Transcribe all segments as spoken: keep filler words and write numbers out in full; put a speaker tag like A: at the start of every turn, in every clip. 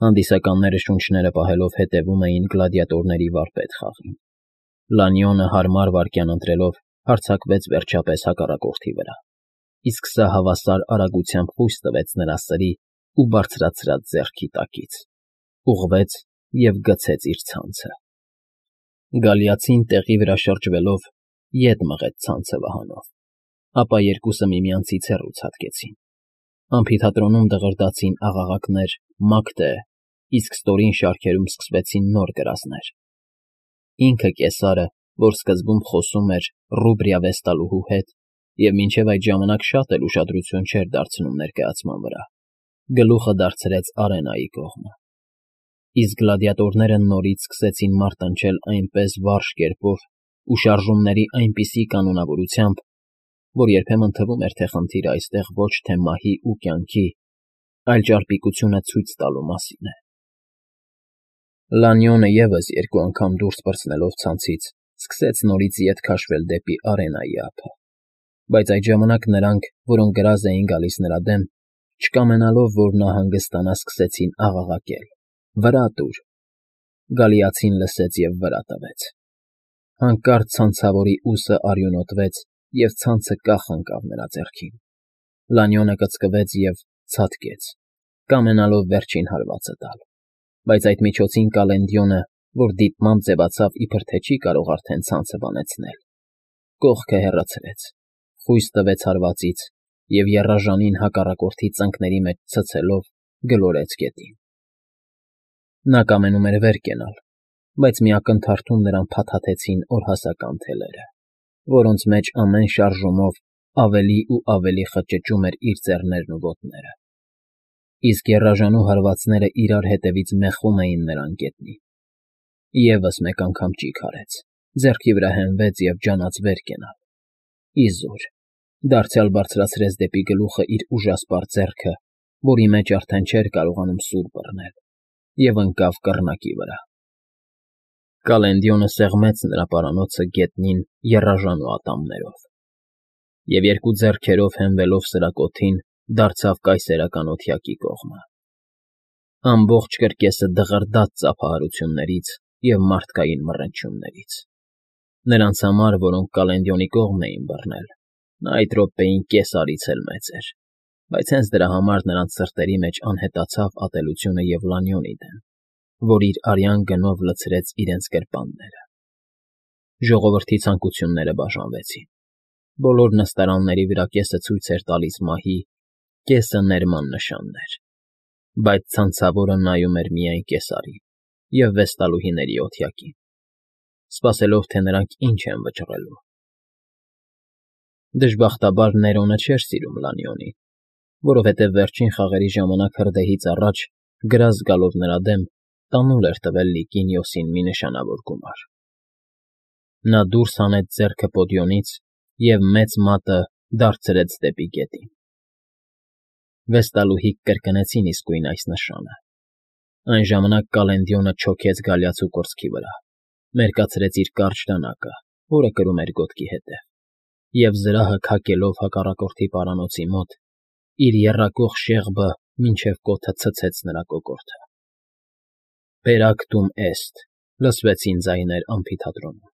A: Հանդիսականները շունչները պահելով հետևում էին գլադիատորների վարպետ խաղին։ Լանյոնը հարմար վայրկյան ընտրելով հարձակվեց վերջապես հակառակորդի վրա, իսկ սա հավասար արագությամբ խույս տվեց նրա սրի ու բարձրացրած ձեռքի տակից, ուղղվեց և գցեց իր ցանցը։ Գալիացին տեղի վրա շրջվելով ետ մղեց ցանցը վահանով, ապա երկուսը միմյանցից հեռու ցատկեցին։ Ամֆիթատրոնում դղրդացին աղաղակներ «Մակթ է», իսկ ստորին շարքերում սկսվեցին նոր կրասներ։ Ինքը՝ կեսարը, որ սկզբում խոսում էր Ռուբրիա Վեստալուհու հետ և մինչև այդ ժամանակ շատ էլ ուշադրություն չէր դարձնում ներկայացման վրա, գլուխը դարձրեց Արենայի կողմը։ Իսկ գլադիատորները նորից սկսեցին մարտնչել այնպես վարժ կերպով ու շարժումների այնպիսի կանոնավորությամբ, որ երբեմն թվում էր, թե խնդիրը այստեղ ոչ թե մահի ու կյանքի, այլ ճարպիկությունը ցույց տալու մասին է։ Լանյոնը ևս երկու անգամ դուրս պրծնելով ցանցից սկսեց նորից ետ քաշվել դեպի Արենայի ափը, բայց այդ ժամանակ նրանք, որոնք գրազ էին գալիս նրա դեմ, չկամենալով, որ նա հանգստանա, սկսեցին աղաղակել. «Վրա տուր»։ Գալիացին լսեց և վրա տվեց։ Հանկարծ ցանցավորի ուսը արյունոտվեց, և ցանցը կախ ընկավ նրա ձեռքին։ Լանյոնը կծկվեց և ցատկեց, կամենալով վերջին հարվածը տալ, բայց այդ միջոցին Կալենդիոնը, որ դիտմամբ ձևացավ, իբր թե չի կարող արդեն ցանցը բանեցնել, կողքը հեռացրեց, խույս տվեց հարվածից և եռաժանին հակառակորդի ծնկների մեջ ցցելով գլորեց գետին։ Նա կամենում էր վեր կենալ, բայց մի ակնթարթում նրան փաթաթեցին օրհասական թելերը, որոնց մեջ ամեն շարժումով ավելի ու ավելի խճճում էր իր ձեռներն ու ոտները, իսկ եռաժանու հարվածները իրար հետևից մեխում էին նրան գետնին։ Եվս մեկ անգամ ճիգ արեց, ձեռքի վրա հենվեց և ջանաց վեր կենալ։ Իզուր, դարձյալ բարձրացրեց դեպի գլուխը իր ուժասպառ ձեռքը, որի մեջ արդեն չէր կարողանում սուր բռնել, և ընկավ կռնակի վրա։ Կալենդիոնը սեղմեց նրա պարանոցը գետնին եռաժանու ատամներով և երկու ձեռքերով հենվելով սրակոթին դարձավ կայսերական օթյակի կողմը։ Ամբողջ կրկեսը դղրդաց ծափահարություններից և մարդկային մռնչյուններից։ Նրանց համար, որոնք Կալենդիոնի կողմն էին բռնել, նա այդ րոպեին կեսարից էլ մեծ էր, բայց հենց դրա համար նրանց սրտերի մեջ անհետացավ ատելությունը և Լանյոնի դեմ, որ իր արյան գնով լցրեց իրենց գրպանները։ Ժողովրդի ցանկությունները բաժանվեցին։ Բոլոր նստարանների վրա կեսը ցույց էր տալիս մահի, կեսը ներման նշաններ, բայց ցանցավորը նայում էր միայն կեսարին և վեստալուհիների օթյակին, սպասելով, թե նրանք ինչ են վճռելու։ Դժբախտաբար Ներոնը չէր սիրում Լանյոնին, որովհետև վերջին խաղերի ժամանակ հրդեհից առաջ, գրազ գալով նրա դեմ, տանուլ էր տվել Լիկինիոսին մի նշանավոր գումար։ Նա դուրս հանեց ձեռքը պոդիոնից և մեծ մատը դարձրեց դեպի գետին։ Վեստալուհիք կրկնեցին իսկույն այս նշանը։ Այն ժամանակ Կալենդիոնը չոքեց գալյացու կուրծքի վրա, մերկացրեց իր կարճ դանակը, որը կրում էր գոտքի հետև, և զրահը քակելով հակառակորդի պարանոցի մոտ, իր եռակող շեղբը մինչև կոթը ցցեց նրա կոկորդը։ «Պերակտում էստ», լսվեցին ձայներ ամֆիթատրոնում,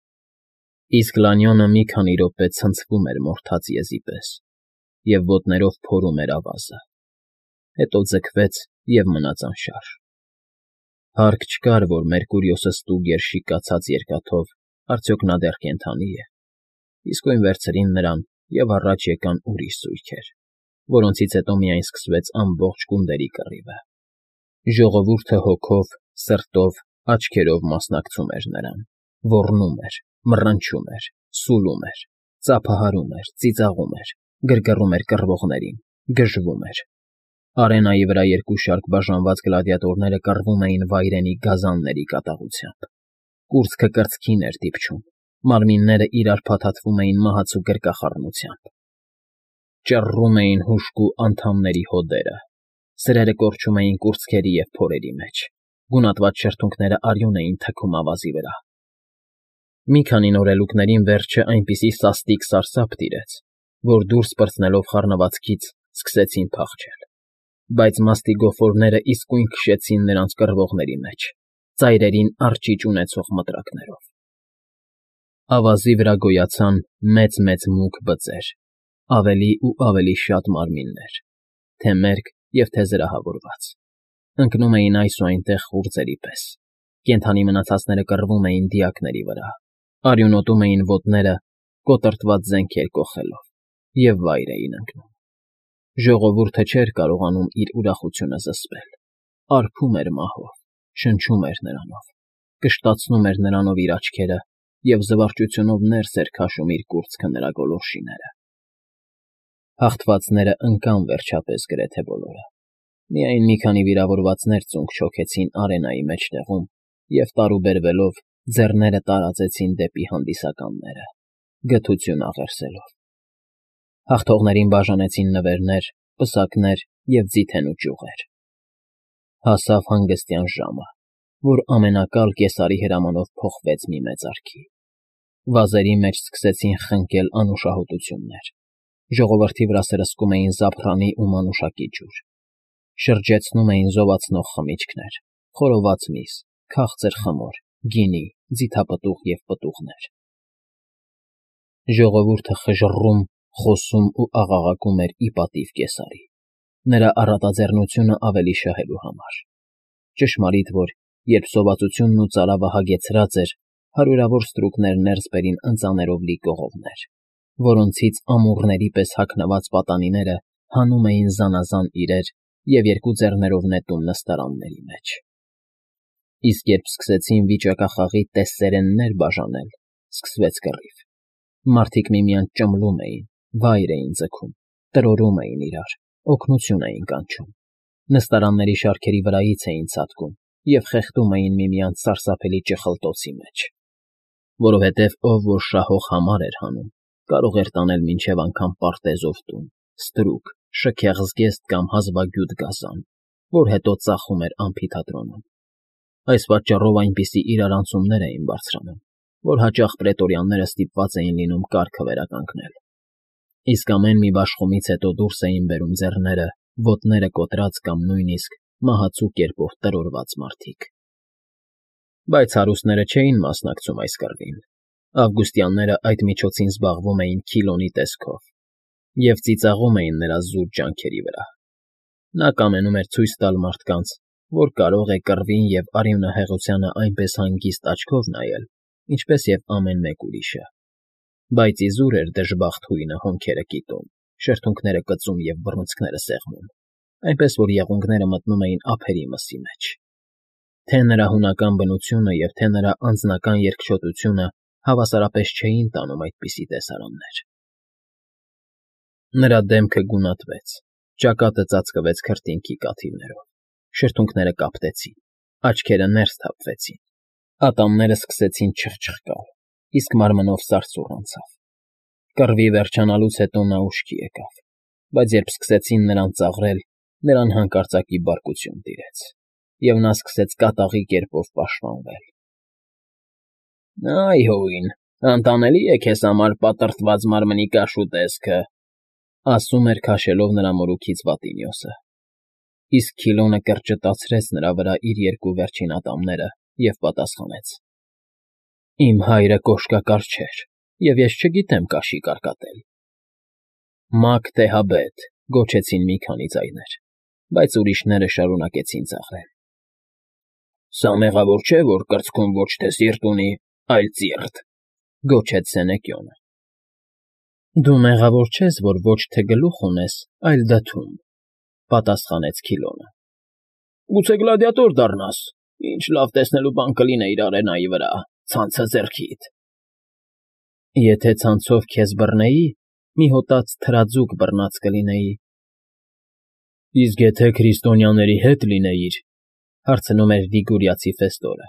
A: իսկ Լանյոնը մի քանի րոպե ցնցվում էր մորթած եզի պես և ոտներով փորում էր ավազը, հետո ձգվեց և մնաց անշարժ։ Հարկ չկար, որ Մերկուրիոսը ստուգ էր շիկացած երկաթով արդյոք նա դեռ կենդանի է։ Իսկույն վերցրին նրան և առաջ եկան ուրիշ զույգեր, որոնցից հետո միայն սկսվեց ամբողջ գունդերի կռիվը։ Ժողովուրդը հոգով, սրտով, աչքերով մասնակցում էր նրան, ոռնում էր, մռնչում էր, սուլում էր, ծափահարում էր, ծիծաղում էր, գրգռում էր կռվողներին, գժվում էր։ Արենայի վրա երկու շարք բաժանված գլադիատորները կռվում էին վայրենի գազանների կատաղությամբ։ Կուրծքը կրծքին էր դիպչում, մարմինները իրար փաթաթվում էին մահացու գրկախառնությամբ։ Ճռռում էին հուժկու անդամների հոդերը, սրերը կորչում էին կուրծքերի և փորերի մեջ, գունատված շրթունքները արյուն էին թքում ավազի վրա։ Մի քանի նորելուկներին վերջը այնպիսի սաստիկ սարսափ տիրեց, որ դուրս պրծնելով խառնվածքից սկսեցին փախչել։ բայց մաստիգոֆորները իսկույն քշեցին նրանց կռվողների մեջ, ծայրերին առճիճ ունեցող մտրակներով։ Ավազի վրա գոյացան մեծ֊մեծ մուգ բծեր, ավելի ու ավելի շատ մարմիններ, թե մերկ և թե զրահավորված, ընկնում էին այս ու այնտեղ խուրձերի պես, կենդանի մնացածները կռվում էին դիակների վրա, արյունոտում էին ոտները, կոտրտված զենքեր կոխելով և վայր էին ընկնում։ Ժողովուրդը չէր կարողանում իր ուրախությունը զսպել, արբում էր մահով, շնչում էր նրանով, կշտացնում էր նրանով իր աչքերը և զվարճությունով ներս էր քաշում իր կուրծքը նրա գոլորշիները։ Հաղթվածները ընկան վերջապես գրեթե բոլորը, միայն մի քանի վիրավորվածներ ծունկ չոքեցին արենայի մեջտեղում և տարուբերվելով ձեռները տարածեցին դեպի հանդիսականները, գթություն աղերսելով։ Հաղթողներին բաժանեցին նվերներ, պսակներ և ձիթեն ու ճյուղեր։ Հասավ հանգստյան ժամը, որ ամենակալ կեսարի հրամանով փոխվեց մի մեծարգի։ Վազերի մեջ սկսեցին խնկել անուշահոտություններ, ժողովրդի վրա սրսկում էին զափռանի ու մանուշակի ջուր, շրջեցնում էին զովացնող խմիչքներ, խորոված միս, քաղցր խմոր, գինի, ձիթապտուղ և պտուղներ։ Ժողովուրդը խժռում, խոսում ու աղաղակում էր ի պատիվ կեսարի, նրա առատաձեռնությունը ավելի շահելու համար։ Ճշմարիտ որ, երբ սովածությունն ու ծարավը հագեցրած էր, հարյուրավոր ստրուկներ ներս բերին ընծաներով լի կողովներ, որոնցից ամուռների պես հագնված պատանիները հանում էին զանազան իրեր և երկու ձեռներով նետում նստարանների մեջ։ Իսկ երբ սկսեցին վիճակախաղի տեսսերեններ բաժանել, սկսվեց կռիվ։ Մարդիկ միմյանց ճմլում էին, վայր էին ձգում, տրորում էին իրար, օգնություն էին կանչում, նստարանների շարքերի վրայից էին ցատկում և խեղդում էին միմյանց սարսափելի ճխլտոցի մեջ, որովհետև ով որ շահող համար էր հանում, կարող էր տանել մինչև անգամ պարտեզով տուն, ստրուկ, շքեղ զգեստ կամ հազվագյուտ գազան, որ հետո ծախում էր ամֆիթատրոնում։ Այս պատճառով այնպիսի իրարանցումներ էին բարձրանում, որ հաճախ պրետորյանները ստիպված էին լինում կարգը վերականգնել։ Իսկ ամեն մի բաշխումից հետո դուրս էին բերում ձեռները, ոտները կոտրած կամ նույնիսկ մահացու կերպով տրորված մարդիկ։ Բայց հարուստները չէին մասնակցում այս կռվին։ Ավգուստյանները այդ միջոցին զբաղվում էին Քիլոնի տեսքով և ծիծաղում էին նրա զուր ջանքերի վրա։ Նա կամենում էր ցույց տալ մարդկանց, որ կարող է կռվին և արյունահեղությանը այնպես հանգիստ աչքով նայել, ինչպես և ամեն մեկ ուրիշը։ Բայց իզուր էր դժբախտ հույնը հոնքերը կիտում, շրթունքները կծում և բռունցքները սեղմում, այնպես որ եղունգները մտնում էին ափերի մսի մեջ։ Թե նրա հունական բնությունը և թե նրա անձնական երկչոտությունը հավասարապես չէին տանում այդպիսի տեսարաններ։ Նրա դեմքը գունատվեց, ճակատը ծածկվեց քրտինքի կաթիլներով, շրթունքները կապտեցին, աչքերը ներս թափվեցին, ատամները սկսեցին չխչխկալ, իսկ մարմնով սարսուռ անցավ։ Կռվի վերջանալուց հետո նա ուշքի եկավ, բայց երբ սկսեցին նրան ծաղրել, նրան հանկարծակի բարկություն տիրեց, և նա սկսեց կատաղի կերպով պաշտպանվել։ ֊ Այ հո, անտանելի է քեզ համար պատրտված մարմնի կաշու տեսքը,֊ ասում էր քաշելով նրա մորուքից վատի մյոսը։ Իսկ Քիլոնը կրճտացրեց նրա վրա իր երկու վերջին ատամները և պատասխանեց. «Իմ հայրը կոշկակար չէր, և ես չգիտեմ կաշի կարկատել»։ «Մագ Տեհաբետ», գոչեցին մի քանի ձայներ, բայց ուրիշները շարունակեցին ծաղրել։ «Սա մեղավոր չէ, որ կրծքում ոչ թե սիրտ ունի, այլ ծիռտ,֊ գոչեց Սենեկիոնը։ «Դու մեղավոր չես, որ ոչ թե գլուխ ունես, այլ դդում,֊ պատասխանեց Քիլոնը։ Գուցե գլադիատոր դառնաս, ինչ լավ տեսնելու բան կլիներ արենայի վրա, ցանցը ձեռքիդ։ Եթե ցանցով քեզ բռնեի, մի հոտած թրաձուկ բռնած կլինեի։ Իսկ եթե քրիստոնյաների հետ լինեիր,֊ հարցնում էր Լիգուրիացի Ֆեստորը,֊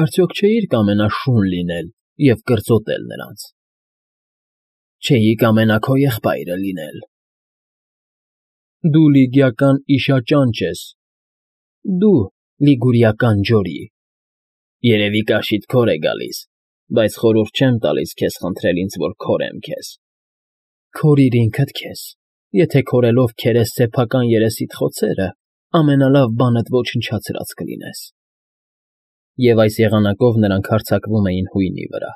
A: արդյոք չէիր կամենա շուն լինել և կրծոտել նրանց։ Չէի կամենա քո եղբայրը լինել։ Դու լիգիական իշաճանճ ես, դու լիգուրիական ջորի։ Երևի կաշիդ քոր է գալիս, բայց խորհուրդ չեմ տալիս քեզ խնդրել ինձ, որ քորեմ քեզ։ Քորիր ինքդ քեզ, Եթե քորելով քերես սեփական երեսիդ խոցերը, ամենալավ բանդ ոչնչացրած կլինես։ Եվ այս եղանակով նրանք հարձակվում էին հույնի վրա,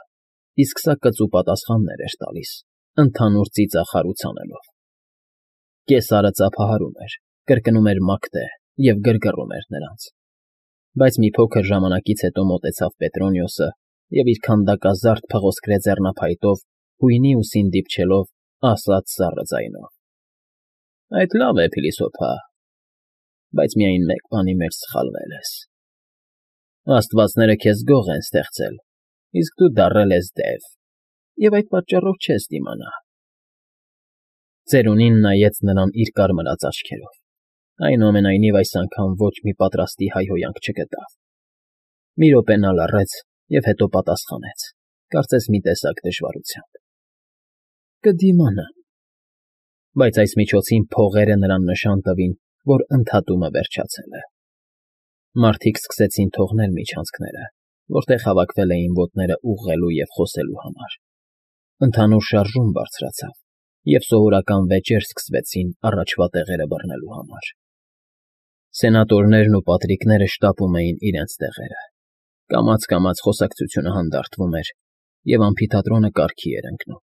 A: իսկ սա կծու պատասխաններ էր տալիս, ընդհանուր ծիծաղ անելով։ Կեսարը ծափահարում էր, կրկնում էր մակթե և գրգռում էր նրանց։ Բայց մի փոքր ժամանակից հետո մոտեցավ Պետրոնիոսը և իր քանդակազարդ փղոսկրե ձեռնափայտով հույնի ուսին դիպչելով, ասաց սառը ձայնով. ֊ Այդ լավ է, փիլիսոփա, բայց միայն մեկ բանի մեջ սխալվել ես. աստվածները քեզ գող են ստեղծել, իսկ դու դառել ես դև, և այդ պատճառով չես դիմանա… Ծերունին նայեց նրան իր կարմրած աչքերով, այնուամենայնիվ այս անգամ ոչ մի պատրաստի հայհոյանք չգտավ։ Մի րոպե նա լռեց և հետո պատասխանեց, կարծես մի տեսակ դժվարությամբ. ֊ Կդիմանամ… Բայց այս միջոցին փողերը նրան նշան տվին, որ ընդհատումը վերջացել է։ Մարդիկ սկսեցին թողնել միջանցքները, որտեղ հավաքվել էին ոտները ուղղելու և խոսելու համար։ Ընդհանուր շարժում բարձրացավ, և սովորական վեճեր սկսվեցին առաջվա տեղերը բռնելու համար։ Սենատորներն ու պատրիկները շտապում էին իրենց տեղերը, կամաց֊կամաց խոսակցությունը հանդարտվում էր, և ամֆիթատրոնը կարգի էր ընկնում։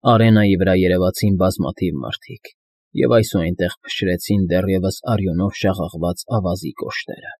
A: Արենայի վրա երևացին բազմաթիվ մարդիկ, և այս ու այնտեղ փշրեցին դեռևս արյունով շաղաղված ավազի կոշտերը։